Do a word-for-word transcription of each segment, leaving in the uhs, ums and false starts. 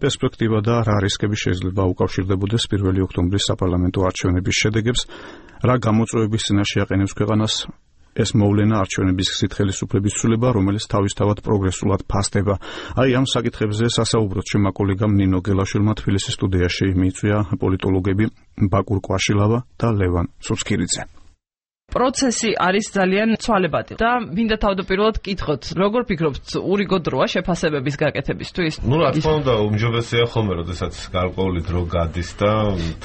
პერსპექტივა და რა რისკები შეიძლება უკავშირდებოდეს პირველი ოქტომბრის საპარლამენტო არჩევნების შედეგებს, რა გამოწვევების წინაშე აყენებს ქვეყანას ეს მოვლენა არჩევნების გზით ხელისუფლების ცვლილება, რომელიც თავისთავად პროგრესულად ფასდება. აი ამ საკითხებზე სასაუბროთ ჩემმა კოლეგამ ნინო გელაშვილმა თბილისის სტუდიაში მიიწვია პოლიტოლოგები ბაკურ კვაშილავა და ლევან სუცქირიძე. პროცესი არის ძალიან ცვალებადი და მინდა თავდაპირველად კითხოთ, როგორ ფიქრობთ, ურიგო დროა შეფასებების გაკეთებისთვის? ნუ რა თქმა უნდა, უმჯობესია ხოლმე, როდესაც გარკვეული დრო გადის და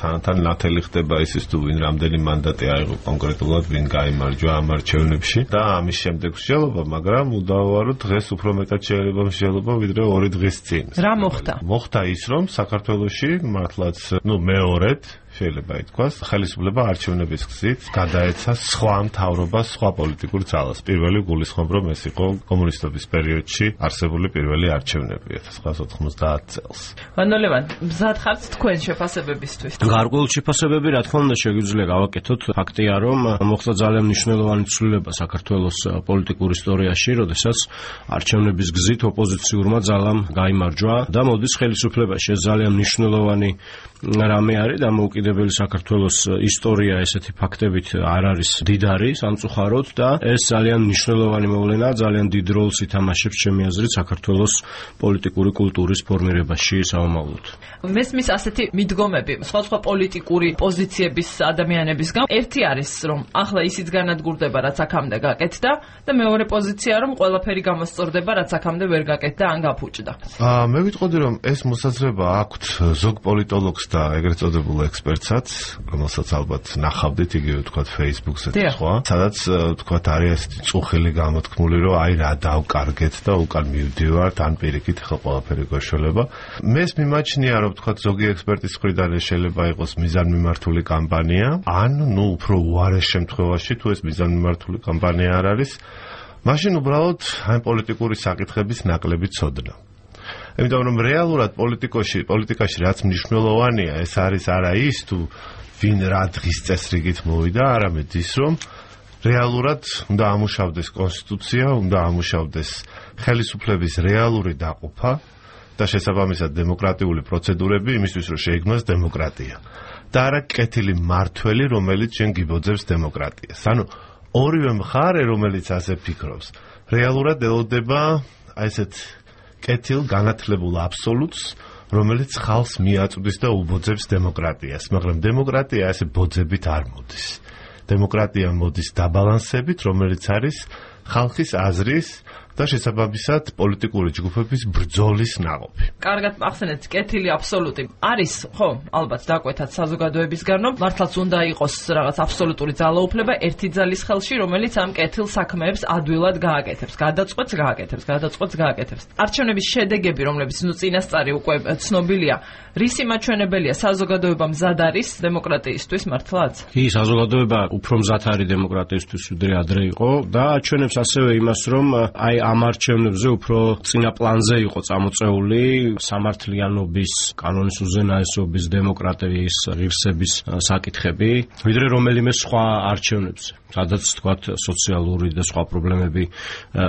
თან-თან ნათელი ხდება ისიც თუ ვინ რამდენი მანდატი აიღო კონკრეტულად, ვინ გაიმარჯვა ამ არჩევნებში და ამის შემდეგ მსჯელობა, მაგრამ უდავოა დღეს უფრო მეტად შეიძლება მსჯელობა ვიდრე ორი დღის წინ. რა მოხდა? მოხდა ის, რომ საქართველოში მართლაც, ნუ მეორედ შეიძლება ითქვას, ხელისუფლება არჩევნების გზით გადაეცა სხვა მთავრობას, სხვა პოლიტიკურ ძალას. პირველი გულისხმობ, რომ ეს იყო კომუნისტების პერიოდში არსებული პირველი არჩევნები ექვს ცხრაას ოთხმოცდაათ წელს. ვანოლევან, მზად ხართ თქვენ შეფასებებისთვის? გარკვეული შეფასებები, რა თქმა უნდა, შეგვიძლია გავაკეთოთ. ფაქტია, რომ მოხდა ძალიან მნიშვნელოვანი ცვლილება საქართველოს პოლიტიკურ ისტორიაში, როდესაც არჩევნების გზით ოპოზიციურმა ძალამ გაიმარჯვა და მოდის ხელისუფლებაში. ეს ძალიან მნიშვნელოვანი რამე არის და მოუკიდებელი საქართველოს ისტორია ესეთი ფაქტებით არ არის დიდარი სამწუხაროდ და ეს ძალიან მნიშვნელოვანი მოვლენა, ძალიან დიდ როლს ითამაშებს ჩემი აზრით საქართველოს პოლიტიკური კულტურის ფორმირებაში სამომავლოდ. მესმის ასეთი მიდგომები სხვადასხვა პოლიტიკური პოზიციების ადამიანებისგან. ერთი არის, რომ ახლა ისიც განადგურდება, რაც აქამდე გაკეთდა და მეორე პოზიცია, რომ ყველაფერი გამოსწორდება, რაც აქამდე ვერ გაკეთდა ან გაფუჭდა. აა მე ვიტყოდი, რომ ეს მოსაზრება აქვთ ზოგ პოლიტოლოგს და ეგრეთ წოდებულ ექსპერტსაც, რომელსაც ალბათ ნახავდით იგივე თქვათ Facebook-ზე სხვა, სადაც თქვათ არის ესეთი წუხილი გამოთქმული, რომ აი რა დავკარგეთ და უკან მივდივართ, ან პირიქით ხელ ყველაფერი გვეშველება. მე მიმაჩნია, რომ თქვათ ზოგი ექსპერტის მხრიდან შეიძლება იყოს მიზანმიმართული კამპანია, ან ნუ უფრო უარეს შემთხვევაში თუ ეს მიზანმიმართული კამპანია არ არის, მაშინ უბრალოდ აი პოლიტიკური საკითხების ნაკლები ცოდნა. იმიტომ რომ რეალურად პოლიტიკაში, პოლიტიკაში რაც მნიშვნელოვანია, ეს არის არა ის თუ ვინ რა დღის წესრიგით მოვიდა, არამედ ის რომ რეალურად უნდა ამუშავდეს კონსტიტუცია, უნდა ამუშავდეს ხელისუფლების რეალური დაყოფა და შესაბამისად დემოკრატიული პროცედურები იმისთვის, რომ შეიქმნას დემოკრატია. და არა კეთილი მართველი, რომელიც შენ გიბოძებს დემოკრატიას. ანუ ორივე მხარე, რომელიც ასე ფიქრობს, რეალურად ელოდება აი ესეთ კეთილ განათლებულ აბსოლუტს, რომელიც ხალხს მიაწვდის და უბოძებს დემოკრატიას, მაგრამ დემოკრატია ასე ბოძებით არ მოდის. დემოკრატია მოდის დაბალანსებით, რომელიც არის ხალხის აზრის და შესაბამისად პოლიტიკური ჯგუფების ბრძოლის ნაყოფი. კარგად ახსენეთ, კეთილი აბსოლუტი არის, ხო, ალბათ დაკვეთათ საზოგადოებისგან, რომ მართლაც უნდა იყოს რაღაც აბსოლუტური ძალაუფლება ერთი ძალის ხელში, რომელიც ამ კეთილ საქმეებს ადვილად გააკეთებს, გადაწყვეტს გააკეთებს, გადაწყვეტს გააკეთებს. არჩევნების შედეგები, რომლებიც ნუ წინასწარი უკვე ცნობილია, რისი მაჩვენებელია, საზოგადოება მზად არის დემოკრატიისთვის მართლაც? კი, საზოგადოება უფრო მზად არის დემოკრატიისთვის, ვიდრე ადრე იყო და აჩვენებს ასევე იმას, რომ აი ამ არჩევნებზე უფრო წინა პლანზე იყო წამოწეული სამართლიანობის, კანონის უზენაესობის, დემოკრატიის ღირსების საკითხები, ვიდრე რომელიმე სხვა არჩევნებზე, სადაც თქვათ სოციალური და სხვა პრობლემები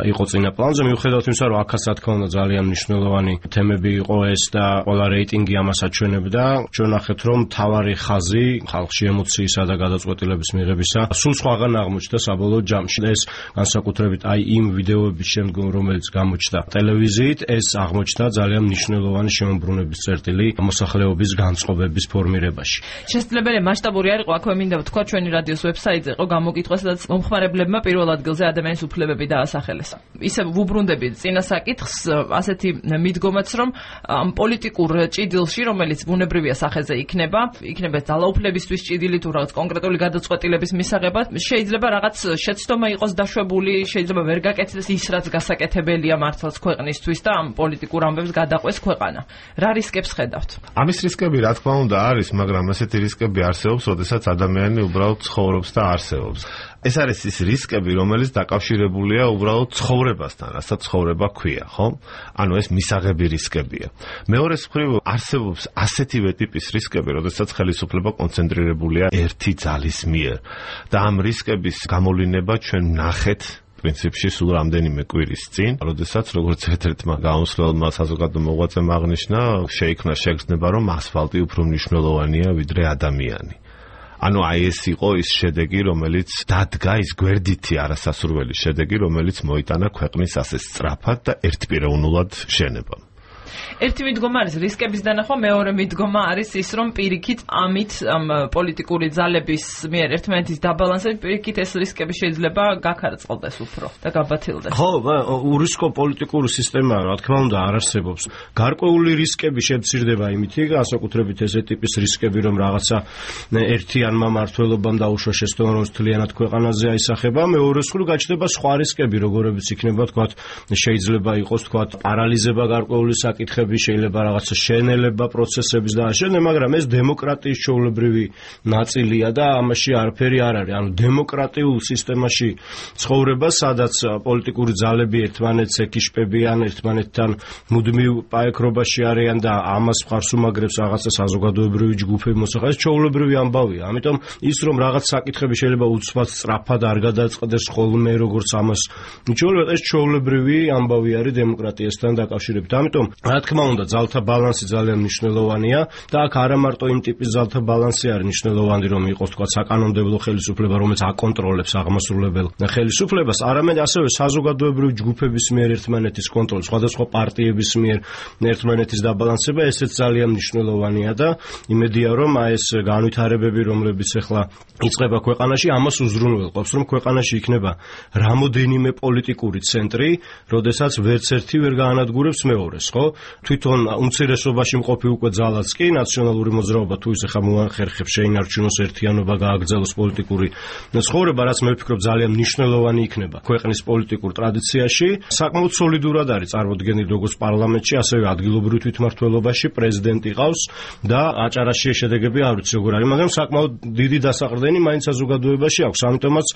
იყო წინა პლანზე. მიუხედავად იმისა, რომ აქაც რა თქმა უნდა ძალიან მნიშვნელოვანი თემები იყო ეს და ყველა რეიტინგი ამას აჩვენებდა, ჩვენ ნახეთ, რომ მთავარი ხაზი ხალხში ემოციისა და გადაწყვეტილების მიღებისა სულ სხვაგან აღმოჩნდა საბოლოო ჯამში. ეს განსაკუთრებით აი იმ ვიდეოების შემდგომ, რომელიც გამოჩნდა ტელევიზიით, ეს აღმოჩნდა ძალიან მნიშვნელოვანი შემოbrunების წერტილი მოსახლეობის განწყობების ფორმირებაში. შესაძლებელი მასშტაბური არ იყო, აქვე მინდა ვთქვა, ჩვენი რადიოს ვებსაიტზე იყო გამოკითხვა, სადაც მომხმარებლებმა პირველ ადგილზე ადამიანის უფლებები დაასახელეს. ისე ვუბრუნდები წინა საკითხს, ასეთი მიდგომაც, რომ ამ პოლიტიკურ ჭიდილში, რომელიც ბუნებრივია სახეზე იქნება, იქნება ძალაუფლებისთვის ჭიდილი თუ რაღაც კონკრეტული გადაწყვეტილების მისაღებად, შეიძლება რაღაც შეცდომა იყოს დაშვებული, შეიძლება ვერ გაკეთდეს ის, რაც გასაკეთებელია მართლაც ქვეყნისთვის და ამ პოლიტიკურ ამბებს გადაყვეს ქვეყანა. რა რისკებს ხედავთ? ამის რისკები რა თქმა უნდა არის, მაგრამ ასეთი რისკები არსებობს, როდესაც ადამიანი უბრალოდ ცხოვრობს და არსებობს. ეს არის ის რისკები, რომელიც დაკავშირებულია უბრალოდ ცხოვრებასთან, რასაც ცხოვრება ქვია, ხო? ანუ ეს მისაღები რისკებია. მეორეს მხრივ არსებობს ასეთივე ტიპის რისკები, როდესაც ხელისუფლება კონცენტრირებულია ერთი ძალის მიერ და ამ რისკების გამოვლინება ჩვენ ნახეთ პრინციპში სულ რამდენიმე კვირის წინ, როდესაც როგორც ერთ-ერთმა გამოსვლელმა საზოგადო მოღვაწემ აღნიშნა, შეიქმნა შეგრძნება, რომ ასფალტი უფრო მნიშვნელოვანია ვიდრე ადამიანი. ანუ აი ეს იყო ის შედეგი, რომელიც დადგა, ის გვერდითი არასასურველი შედეგი, რომელიც მოიტანა ქვეყნის ასე სწრაფად და ერთპიროვნულად შენება. ერთი მიდგომა არის რისკების დანახვა, მეორე მიდგომა არის ის, რომ პირიქით ამით ამ პოლიტიკური ძალების მიერ ერთმანეთის დაბალანსებით პირიქით ეს რისკები შეიძლება გაქარწყლდეს უფრო და გაბათილდეს. ხო, ურისკო პოლიტიკური სისტემა, რა თქმა უნდა, არ არსებობს. გარკვეული რისკები შემცირდება იმით, განსაკუთრებით ესე ტიპის რისკები, რომ რაღაცა ერთიანმა მმართველობამ დაუშვა შესწავლა, რომ მთლიანად ქვეყანაზე აისახება, მეორე მხრივ გაჩნდება სხვა რისკები, როგორებიც იქნება, თქვათ, შეიძლება იყოს, თქვათ, პარალიზება გარკვეული საკითხები, შეიძლება რაღაცა შენელება პროცესების და ასე, მაგრამ ეს დემოკრატიის ჩვეულებრივი ნაწილია და ამაში არაფერი არ არის. ანუ დემოკრატიულ სისტემაში ცხოვრება, სადაც პოლიტიკური ძალები ერთმანეთს ეკიშპებიან, ერთმანეთთან მუდმივ პაექრობაში არიან და ამას მხარს უმაგრებს რაღაცა საზოგადოებრივი ჯგუფები მოსახელს, ჩვეულებრივი ამბავია. ამიტომ ის რომ რაღაც საკითხები შეიძლება უცბად სწრაფად არ გადაწყდეს ხოლმე, როგორც ამას მიჩვეულება, ეს ჩვეულებრივი ამბავი არის დემოკრატიასთან დაკავშირებით. ამიტომ რა თქმა უნდა, ძალთა ბალანსი ძალიან მნიშვნელოვანია და აქ არა მარტო იმ ტიპის ძალთა ბალანსი არის მნიშვნელოვანი, რომ იყოს თქვა საკანონმდებლო ხელისუფლება, რომელიც აკონტროლებს აღმასრულებელ ხელისუფლებას, არამედ ასევე საზოგადოებრივი ჯგუფების მიერ ერთმანეთის კონტროლი, სხვადასხვა პარტიების მიერ ერთმანეთის დაბალანსება, ესეც ძალიან მნიშვნელოვანია და იმედია, რომ აი ეს განვითარებები, რომლებიც ახლა იწყება ქვეყანაში, ამას უზრუნველყოფს, რომ ქვეყანაში იქნება რამოდენიმე პოლიტიკური ცენტრი, როდესაც ვერც ერთი ვერ გაანადგურებს მეორეს, ხო? თვითონ უმცირესობაში მყოფი უკვე ძალაც კი ნაციონალური მოძრაობა თუ ის ახლა მოახერხებს შეინარჩუნოს ერთიანობა, გააგრძელოს პოლიტიკური ცხოვრება, რაც მე ვფიქრობ ძალიან მნიშვნელოვანი იქნება ქვეყნის პოლიტიკურ ტრადიციაში. საკმაოდ სოლიდურად არის წარმოდგენილი როგორც პარლამენტში, ასევე ადგილობრივ თვითმმართველობაში, პრეზიდენტი ყავს და აჭარაში შედეგები არ ვიცი როგორ არის, მაგრამ საკმაოდ დიდი დასაყრდენი მაინც საზოგადოებაში აქვს. ამიტომაც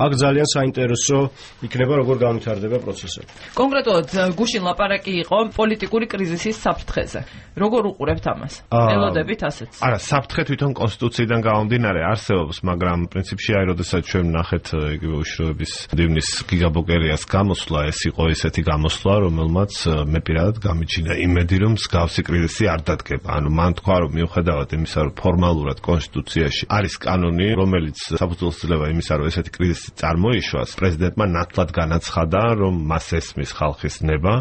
აქ ძალიან საინტერესო იქნება როგორ განვითარდება პროცესები. კონკრეტულად გუშინ ლაპარაკი იყო პოლიტიკური კრიზისის საფრთხეზე. როგორ უყურებთ ამას? ელოდებით ასეც. არა, საფრთხე თვითონ კონსტიტუციიდან გამომდინარე არსებობს, მაგრამ პრინციპში აი როდესაც ჩვენ ვნახეთ იგივე უშუალოების დივნის გიგაბოკერიას გამოსვლა, ეს იყო ესეთი გამოსვლა, რომელმაც მე პირადად გამიჩინა იმედი, რომ მსგავსი კრიზისი არ დადგება. ანუ მან თქვა, რომ მიუხედავად იმისა, რომ ფორმალურად კონსტიტუციაში არის კანონი, რომელიც საფუძველს ძლევა იმისა, რომ ესეთი კრიზისი წარმოიშვას, პრეზიდენტმა ნათლად განაცხადა, რომ მას ესმის ხალხის ნება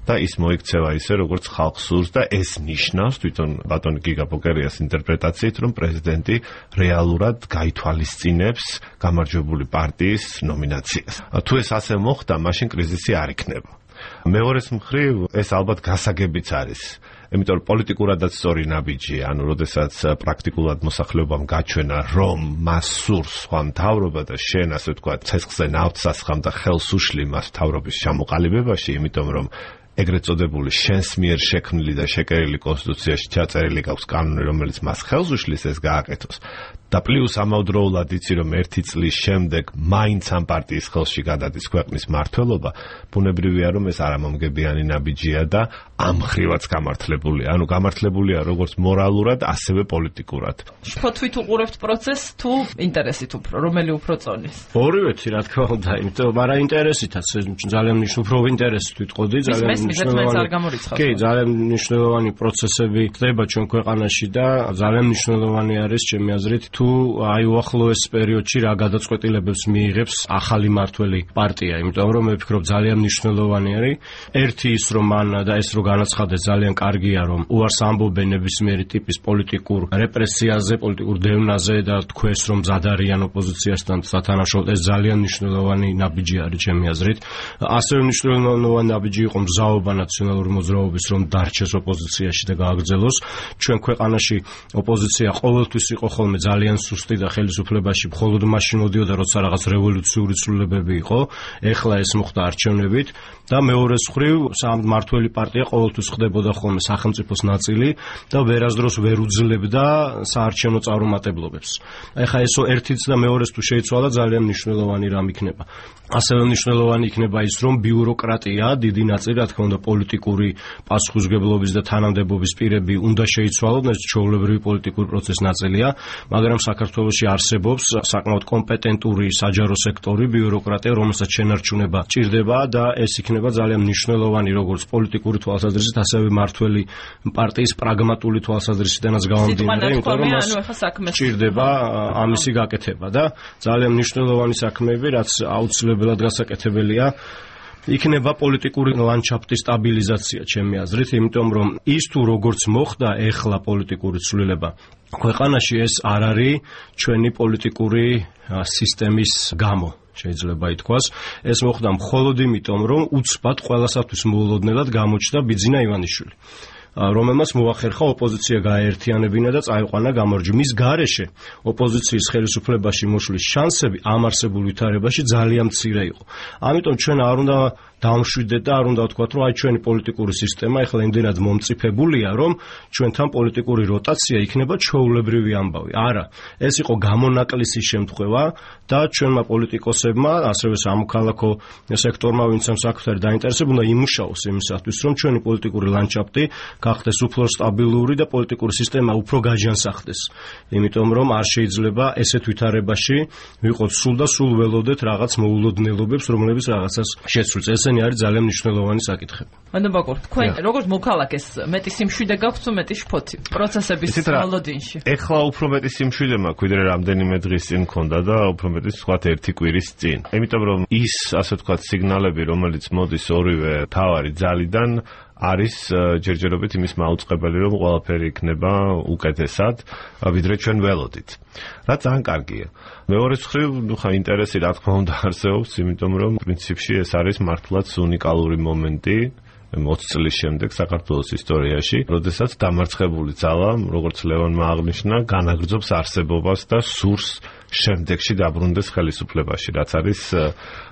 და ის მოიქცევა ისე, როგორც ხალხს სურს და ეს ნიშნავს თვითონ ბატონი გიგაბოკერიას ინტერპრეტაციით, რომ პრეზიდენტი რეალურად გაითვალისწინებს გამარჯვებული პარტიის ნომინაციას. თუ ეს ასე მოხდა, მაშინ კრიზისი არ იქნება. მეორეს მხრივ, ეს ალბათ გასაგებიც არის. იმიტომ რომ პოლიტიკურადაც სწორი ნაბიჯია, ანუ როდესაც პრაქტიკულად მოსახლეობამ გაჩვენა, რომ მას სურს სხვა მთავრობა და შენ ასე ვთქვათ, ცეცხლზე ნავთს ასხამ და ხელს უშლი მას მთავრობის ჩამოყალიბებაში, იმიტომ რომ ეგრეთ წოდებული შენს მიერ შექმნილი და შეკერილი კონსტიტუციაში ჩაწერილი გაქვს კანონი, რომელიც მას ხელს უშლის ეს გააკეთოს. და პლუს ამავდროულად იცი, რომ ერთი წლის შემდეგ მაინც ამ პარტიის ხელში გადადის ქვეყნის მმართველობა, ბუნებრივია, რომ ეს არამომგებიანი ნაბიჯია და ამ ხრივაც გამართლებულია. ანუ გამართლებულია როგორც მორალურად, ასევე პოლიტიკურად. შფოთვით უყურებთ პროცესს თუ ინტერესით უფრო, რომელი უფრო წონის? ორივეთი, რა თქმა უნდა, იმიტომ არა ინტერესითაც, ძალიან მნიშვნელოვანი ინტერესით ვიტყოდი, ძალიან მნიშვნელოვანი. კი, ძალიან მნიშვნელოვანი პროცესები ხდება ჩვენ ქვეყანაში და ძალიან მნიშვნელოვანი არის ჩემი აზრით თუ აი უახლოეს პერიოდში რა გადაწყვეტილებებს მიიღებს ახალი მმართველი პარტია, იმიტომ რომ მე ვფიქრობ ძალიან მნიშვნელოვანი არის ერთი ის რომ მან და ეს რო განაცხადეს ძალიან კარგია რომ უარს ამბობენ ნებისმიერი ტიპის პოლიტიკურ რეპრესიაზე, პოლიტიკურ დევნაზე და თქვეს რომ მზად არიან ოპოზიციასთან სათანადოდ ეს ძალიან მნიშვნელოვანი ნაბიჯი არის ჩემი აზრით. ასევე მნიშვნელოვანი ნაბიჯი იყო მზაობა ნაციონალური მოძრაობის რომ დარჩეს ოპოზიციაში და გააგრძელოს. ჩვენ ქვეყანაში ოპოზიცია ყოველთვის იყო ხოლმე ძალიან სუსტი და ხელისუფლებაში მხოლოდ მაშინ მოდიოდა როცა რაღაც რევოლუციური ცვლილებები იყო. ეხლა ეს მოხდა არჩევნებით და მეორე მხრივ მმართველი პარტია ყოველთვის ხდებოდა ხოლმე სახელმწიფოს ნაწილი და ვერასდროს ვერ უძლებდა საარჩევნო წარუმატებლობებს. ეხლა ეს ერთიც და მეორეს თუ შეიცვალა ძალიან მნიშვნელოვანი რამ იქნება. ასევე მნიშვნელოვანი იქნება ის რომ ბიუროკრატია დიდი ნაწილი რა თქმა უნდა პოლიტიკური პასუხისმგებლობის და თანამდებობის პირები უნდა შეიცვალონ, ეს ჩვეულებრივი პოლიტიკური პროცესის ნაწილია, მაგრამ მაგრამ საქართველოში არსებობს საკმაოდ კომპეტენტური საჯარო სექტორი, ბიუროკრატია, რომელსაც შენარჩუნება ჭირდება და ეს იქნება ძალიან მნიშვნელოვანი როგორც პოლიტიკური თვალსაზრისით, ასევე მართველი პარტიის პრაგმატული თვალსაზრისითაც გამომდინარე, იმიტომ რომ მას ჭირდება ამისი გაკეთება და ძალიან მნიშვნელოვანი საქმეები, რაც აუცილებლად გასაკეთებელია იქნება პოლიტიკური ლანდშაფტის სტაბილიზაცია, ჩემი აზრით, იმიტომ რომ ის თუ როგორც მოხდა ეხლა პოლიტიკური ცვლილება ქვეყანაში, ეს არ არის ჩვენი პოლიტიკური სისტემის გამო. შეიძლება ითქვას, ეს მოხდა მხოლოდ იმიტომ, რომ უცბად ყველასათვის მოულოდნელად გამოჩნდა ბიძინა ივანიშვილი, რომელმაც მოახერხა ოპოზიცია გააერთიანებინა და წაიყვანა გამარჯვება. მის გარეშე ოპოზიციის ხელისუფლებაში მოშლის შანსები ამ არსებულ ვითარებაში ძალიან მცირე იყო. ამიტომ ჩვენ არ უნდა დავმშვიდეთ და არ უნდა ვთქვათ, რომ აი ჩვენი პოლიტიკური სისტემა ეხლა იმდენად მომწიფებულია, რომ ჩვენთან პოლიტიკური როტაცია იქნება ჩვეულებრივი ამბავი. არა, ეს იყო გამონაკლისის შემთხვევა და ჩვენმა პოლიტიკოსებმა, ასევე სამოქალაქო სექტორმა, ვინც ამ საკუთარი დაინტერესებული, უნდა იმუშაოს იმისათვის, რომ ჩვენი პოლიტიკური ლანდშაფტი გახდეს უფრო სტაბილური და პოლიტიკური სისტემა უფრო გაჯანსახდეს. იმიტომ რომ არ შეიძლება ესეთ ვითარებაში ვიყოთ სულ და სულ ველოდეთ რაღაც მოულოდნელობებს, რომლებიც რაღაცას შეცვლს. ესენი არის ძალიან მნიშვნელოვანი საკითხები. მანდაბაკურ, თქვენ როგორც მოქალაქეს მეტი სიმშვიდე გაქვთ თუ მეტი შფოთი პროცესების მოლოდინში? ეხლა უფრო მეტი სიმშვიდე მაქვს, ვიდრე რამდენიმე დღის წინ მქონდა და უფრო მეტი ვთქვათ ერთი კვირის წინ. იმიტომ რომ ის, ასე ვთქვათ, სიგნალები, რომელიც მოდის ორივე თავარი ძალიდან, არის ჯერჯერობით იმის მაუწყებელი, რომ ყველაფერი იქნება უკეთესად, ვიდრე ჩვენ ველოდით. რაც ძალიან კარგია. მეორე მხრივ, ნუ ხა ინტერესი რა თქმა უნდა არსებობს, იმიტომ რომ პრინციპში ეს არის მართლაც უნიკალური მომენტი ოცი წლის შემდეგ საქართველოს ისტორიაში, როდესაც დამარცხებული ძალა, როგორც ლევონმა აღნიშნა, განაგრძობს არსებობას და სურს შემდეგში დაბრუნდეს ხელისუფლებაში, რაც არის,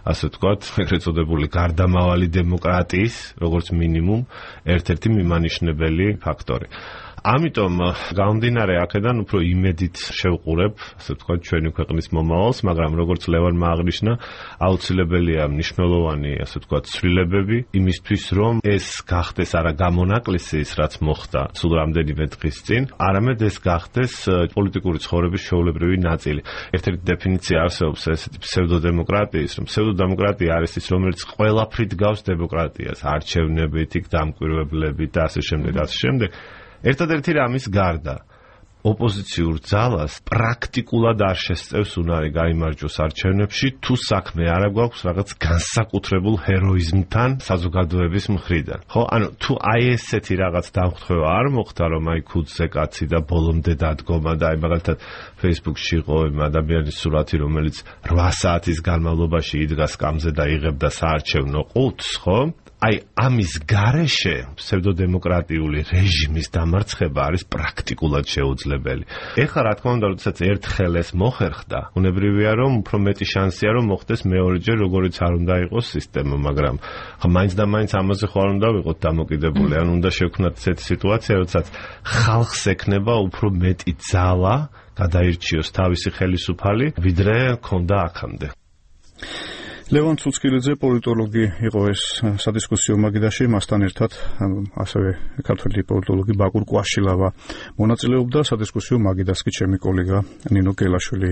ასე ვთქვათ, ეგრეთ წოდებული გარდამავალი დემოკრატიის, როგორც მინიმუმ, ერთ-ერთი მიმანიშნებელი ფაქტორი. ამიტომ გამომდინარე აქედან უფრო იმედით შევყურებ, ასე ვთქვათ, ჩვენი ქვეყნის მომავალს, მაგრამ როგორც ლევანმა აღნიშნა, აუცილებელია მნიშვნელოვანი, ასე ვთქვათ, ცვლილებები იმისთვის, რომ ეს გახდეს არა გამონაკლისი ის, რაც მოხდა სულ რამდენიმე დღის წინ, არამედ ეს გახდეს პოლიტიკური ცხოვრების ჩვეულებრივი ნაწილი. ერთ-ერთი დეფინიცია არსებობს ესეთი ფსევდოდემოკრატიის, რომ ფსევდოდემოკრატია არის ის, რომელიც ყველაფრით გავს დემოკრატიას, არჩევნებით, იქ დამკვირვებლებით და ასე შემდეგ, ასე შემდეგ. ერთადერთი რამის გარდა ოპოზიციურ ძალას პრაქტიკულად არ შესწევს უნარი გაიმარჯვოს არჩევნებში, თუ საქმე არ აქვს რაღაც განსაკუთრებულ ჰეროიზმთან საზოგადოების მხრიდან. ხო, ანუ თუ აი ესეთი რაღაც დამხვევა არ მოხდა, რომ აი ქუდზე კაცი და ბოლომდე დადგომა და აი მაგალითად Facebook-ში იყო იმ ადამიანის სურათი, რომელიც რვა საათის განმავლობაში იდგა სკამზე და იღებდა საარჩევნო ყუთს, ხო? აი ამის გარეშე ფსევდოდემოკრატიული რეჟიმის დამარცხება არის პრაქტიკულად შეუძლებელი. ეხლა რა თქმა უნდა, როდესაც ერთხელ ეს მოხერხდა, უნებრივია რომ უფრო მეტი შანსია რომ მოხდეს მეორეჯერ, როგორიც არ უნდა იყოს სისტემა, მაგრამ ხა მაინც და მაინც ამაზე ხარ უნდა ვიყოთ დამოკიდებული, ან უნდა შევქნათ ესეთი სიტუაცია, როდესაც ხალხს ექნება უფრო მეტი ძალა გადაირჩიოს თავისი ხელისუფალი, ვიდრე ქონდა აქამდე. ლევან ცუცკილიძე პოლიტოლოგი იყო ეს სადისკუსიო მაგიდაში, მასთან ერთად ასევე ქართველი პოლიტოლოგი ბაკურ კვაშილავა მონაწილეობდა სადისკუსიო მაგიდას კი ჩემი კოლეგა ნინო კელაშვილი